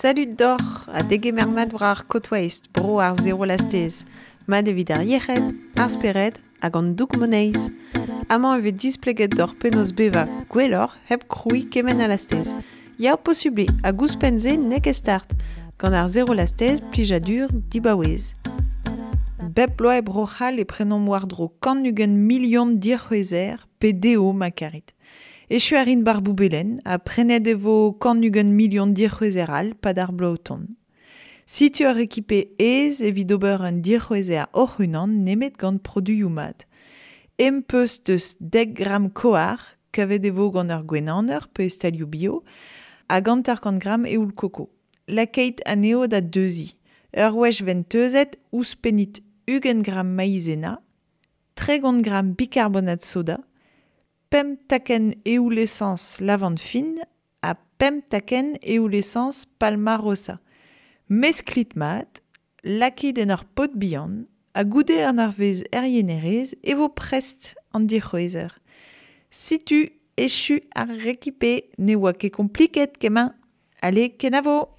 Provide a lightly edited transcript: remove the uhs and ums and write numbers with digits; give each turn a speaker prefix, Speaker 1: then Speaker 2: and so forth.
Speaker 1: Salut doc'h ha degemer mat war ar Côte Waste, bro ar zero lastez. Mat evit ar yec'hed, ar spered hag an doug moneiz. Amañ e vez displeget doc'h penaos bevañ gwelloc'h hep krouiñ kement a lastez. Ya, posubl eo, hag ouzhpenn-se n'eo ket start. Gant ar zero lastez, plijadur dibaouez. Bep bloaz e Bro-C'hall e prenomp war-dro 120 milion dic'hwezher pe dezho ma karit. Echu a rin bar boubelen ha prenet e vo 120 milion dic'hwezher all pad ar bloaz o tont. Setu ur ekipe aes evit ober un dic'hwezher hoc'h-unan nemet gant produioù mat. Em peus deus 10 gramm koar, kavet e vo gant ur gwenaner pe e stalioù bio, hag 50 gramm eoul koko. Lakait anezho da deuziñ. Ur wech vent teuzet, ouzhpennit 20 gramm maizena, 30 gramm bikarbonat soda, 5 takenn eoul-esañs lavand fin ha 5 takenn eoul-esañs palmarosa. Mesklit mat, lakit en ur pod bihan, ha goude an eurvezh er yenerez e vo prest an dic'hwezher. Setu echu ar rekipe, ne oa ket kompliket kement. Allez, kenavo!